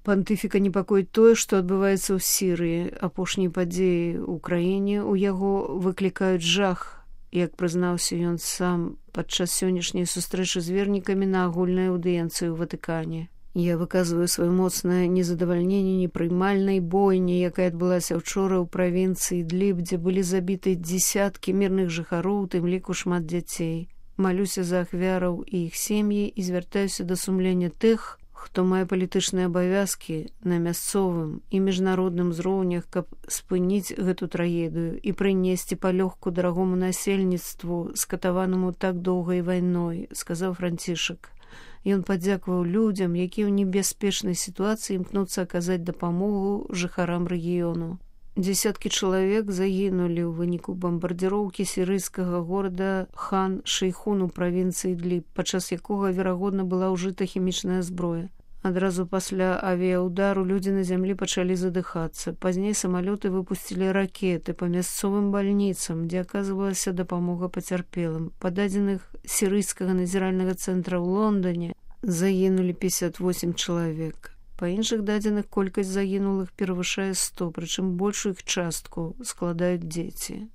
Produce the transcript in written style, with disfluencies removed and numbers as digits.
Пантыфіка непакоіць тое, што адбываецца ў Сірыі. Апошнія падзеі ў краіне у яго выклікаюць жах, як прызнаўся ён сам падчас сённяшняй сустрэчы з вернікамі на агульнай аўдыенцыі ў Ватыкане. Я выказваю сваё моцнае незадавальненне непрымальнай бойні, якая адбылася ўчора ў правінцыі Ідліб, дзе былі забіты дзесяткі мірных жыхароў, у тым ліку шмат дзяцей. Малюся за ахвяраў і іх сем'і і звяртаюся да сумлення тых, хто мае палітычныя абавязкі на мясцовым і міжнародным узроўнях, каб спыніць гэту трагедыю і прынесці палёгку дарагому насельніцтву, скатаванаму так доўгай вайной, сказаў Францішак. Ён падзякаваў людзям, якія ў небяспечнай сітуацыі імкнуцца аказаць дапамогу жыхарам рэгіёну. Дзесяткі чалавек загінулі ў выніку бамбардзіроўкі сірыйскага горада Хан-Шейхун у правінцыі Ідліб, падчас якога, верагодна, была ўжыта хімічная зброя. Адразу пасля авіяудару людзі на зямлі пачалі задыхацца. Пазней самалёты выпусцілі ракеты па мясцовым бальніцам, дзе аказвалася дапамога пацярпелым. Па дадзеных сірыйскага назіральнага цэнтра ў Лондоне загінулі 58 чалавек. Па іншых дадзеных колькасць загінулых перавышае 100, прычым большую іх частку складаюць дзеці.